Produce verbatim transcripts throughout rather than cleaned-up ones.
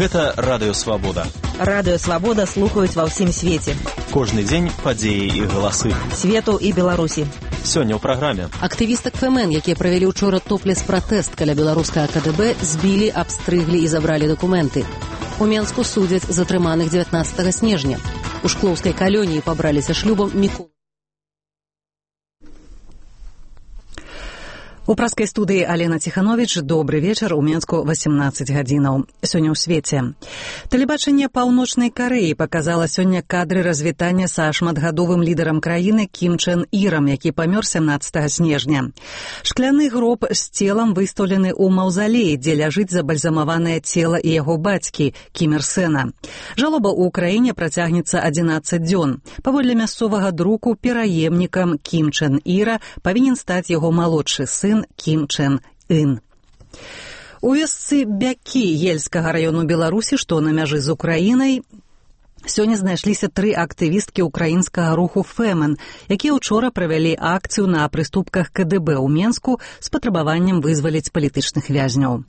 Гэта Радыё Свабода. Радыё Свабода слухаюць ва ўсім свеце. Кожны дзень падзеі і галасы. Свету і Беларусі. Сёння ў праграме. Актывістак ФМН, якія правялі ўчора топлес-пратэст каля беларускага КДБ, збілі, абстрыглі і забралі дакументы. У Менску судзяць затрыманых дзевятнаццатага снежня. У шклоўскай калоніі пабраліся шлюбам Мікола. У праскай студыі Алена Ціхановіч. Добры вечар. У Менску васемнаццаць гадзінаў. Сёння ў свеце. Тэлебачанне Паўночнай Карэі паказала сёння кадры развітання са шматгадовым лідарам краіны Кім Чен Ірам, які памёр сямнаццатага снежня. Шкляны гроб з целам выстаўлены ў маўзалеі, дзе ляжыць забальзамаванае цела і яго бацькі Кім Ір Сэна. Жалоба ў краіне працягнецца адзінаццаць дзён. Паводле мясцовага друку, пераемнікам Кім Чен Іра павінен стаць яго малодшы сын Кім Чен Ын. У вёсцы Бякі Ельскага раёну Беларусі, што на мяжы з Украінай, сёння знайшліся тры актывісткі ўкраінскага руху ФМН, якія ўчора правялі акцыю на прыступках КДБ ў Менску з патрабаваннем вызваліць палітычных вязняў.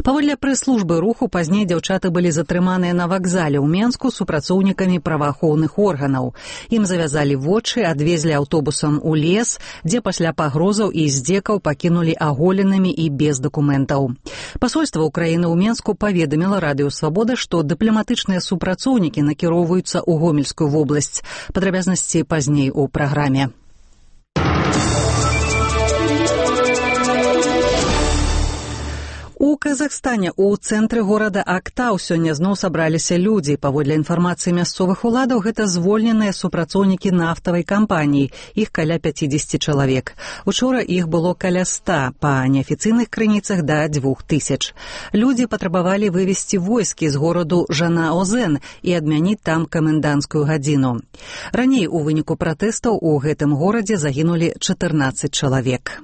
Паводле прэс-службы руху, пазней дзяўчаты былі затрыманыя на вакзале ў Менску супрацоўнікамі праваахоўных органаў. Ім завязалі вочы, адвезлі аўтобусам у лес, дзе пасля пагрозаў і здзекаў пакінулі аголенымі і без дакументаў. Пасольства Украіны ў Менску паведаміла Радыё Свабода, што дыпламатычныя супрацоўнікі накіроўваюцца ў Гомельскую вобласць. Падрабязнасці пазней у праграме. У Казахстане у цэнтры горада Актау сёння зноў сабраліся людзі. Паводле інфармацыі мясцовых уладаў, гэта звольненыя супрацоўнікі нафтавай кампаніі. Іх каля пяцідзесяці чалавек. Учора іх было каля ста, па неафіцыйных крыніцах да дзвюх тысяч. Людзі патрабавалі вывесці войскі з гораду Жанаозен і адмяніць там каменданцкую гадзіну. Раней у выніку пратэстаў у гэтым горадзе загінулі чатырнаццаць чалавек.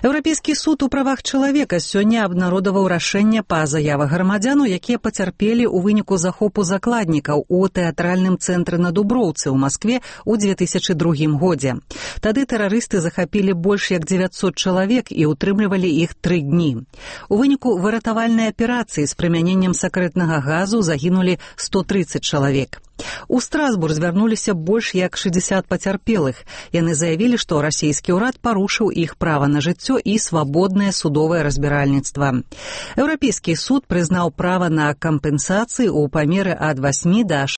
Еўрапейскі суд у правах чалавека сёння абнародаваў рашэнне па заявах грамадзяну, якія пацярпелі ў выніку захопу закладнікаў у тэатральным цэнтры на Дуброўцы ў Маскве ў дзве тысячы другім годзе. Тады тэрарысты захапілі больш як дзевяцьсот чалавек і ўтрымлівалі іх тры дні. У выніку выратавальнай аперацыі з прымяненнем сакрэтнага газу загінулі сто трыццаць чалавек. У Страсбург звярнуліся больш як шэсцьдзесят пацярпелых. Яны заявілі, што расійскі ўрад парушыў іх права на жыццё і свабоднае судовае разбіральніцтва. Еўрапейскі суд прызнаў права на кампенсацыі ў памеры ад васьмі да